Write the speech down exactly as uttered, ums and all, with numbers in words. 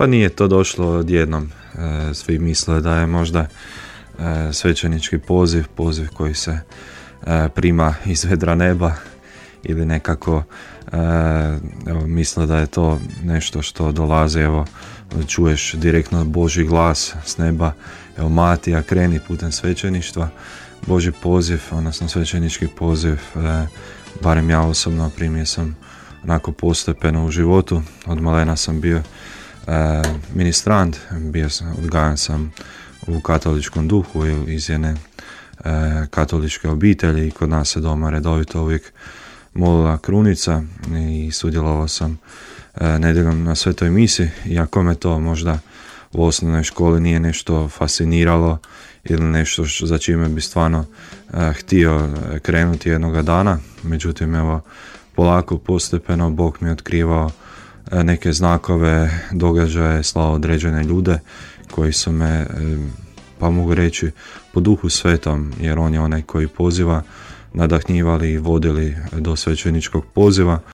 Pa nije to došlo odjednom. E, svi misle da je možda e, svećenički poziv, poziv koji se e, prima iz vedra neba ili nekako e, evo, misle da je to nešto što dolazi, evo, čuješ direktno Božji glas s neba, evo Matija, kreni putem svećeništva. Božji poziv, odnosno svećenički poziv, e, barem ja osobno primio sam onako postepeno u životu. Od malena sam bio e, ministrant, bio sam, odgajan sam u katoličkom duhu iz jedne e, katoličke obitelji i kod nas se doma redovito uvijek molila krunica i sudjelovao sam e, nedjeljom na svetoj misi, iako me to možda u osnovnoj školi nije nešto fasciniralo ili nešto što, za čime bi stvarno e, htio krenuti jednoga dana. Međutim, evo, polako, postepeno Bog mi je otkrivao e, neke znakove, događaje, slao određene ljude koji su me, e, pa mogu reći, po duhu svetom, jer on je onaj koji poziva, nadahnjivali i vodili do svećeničkog poziva.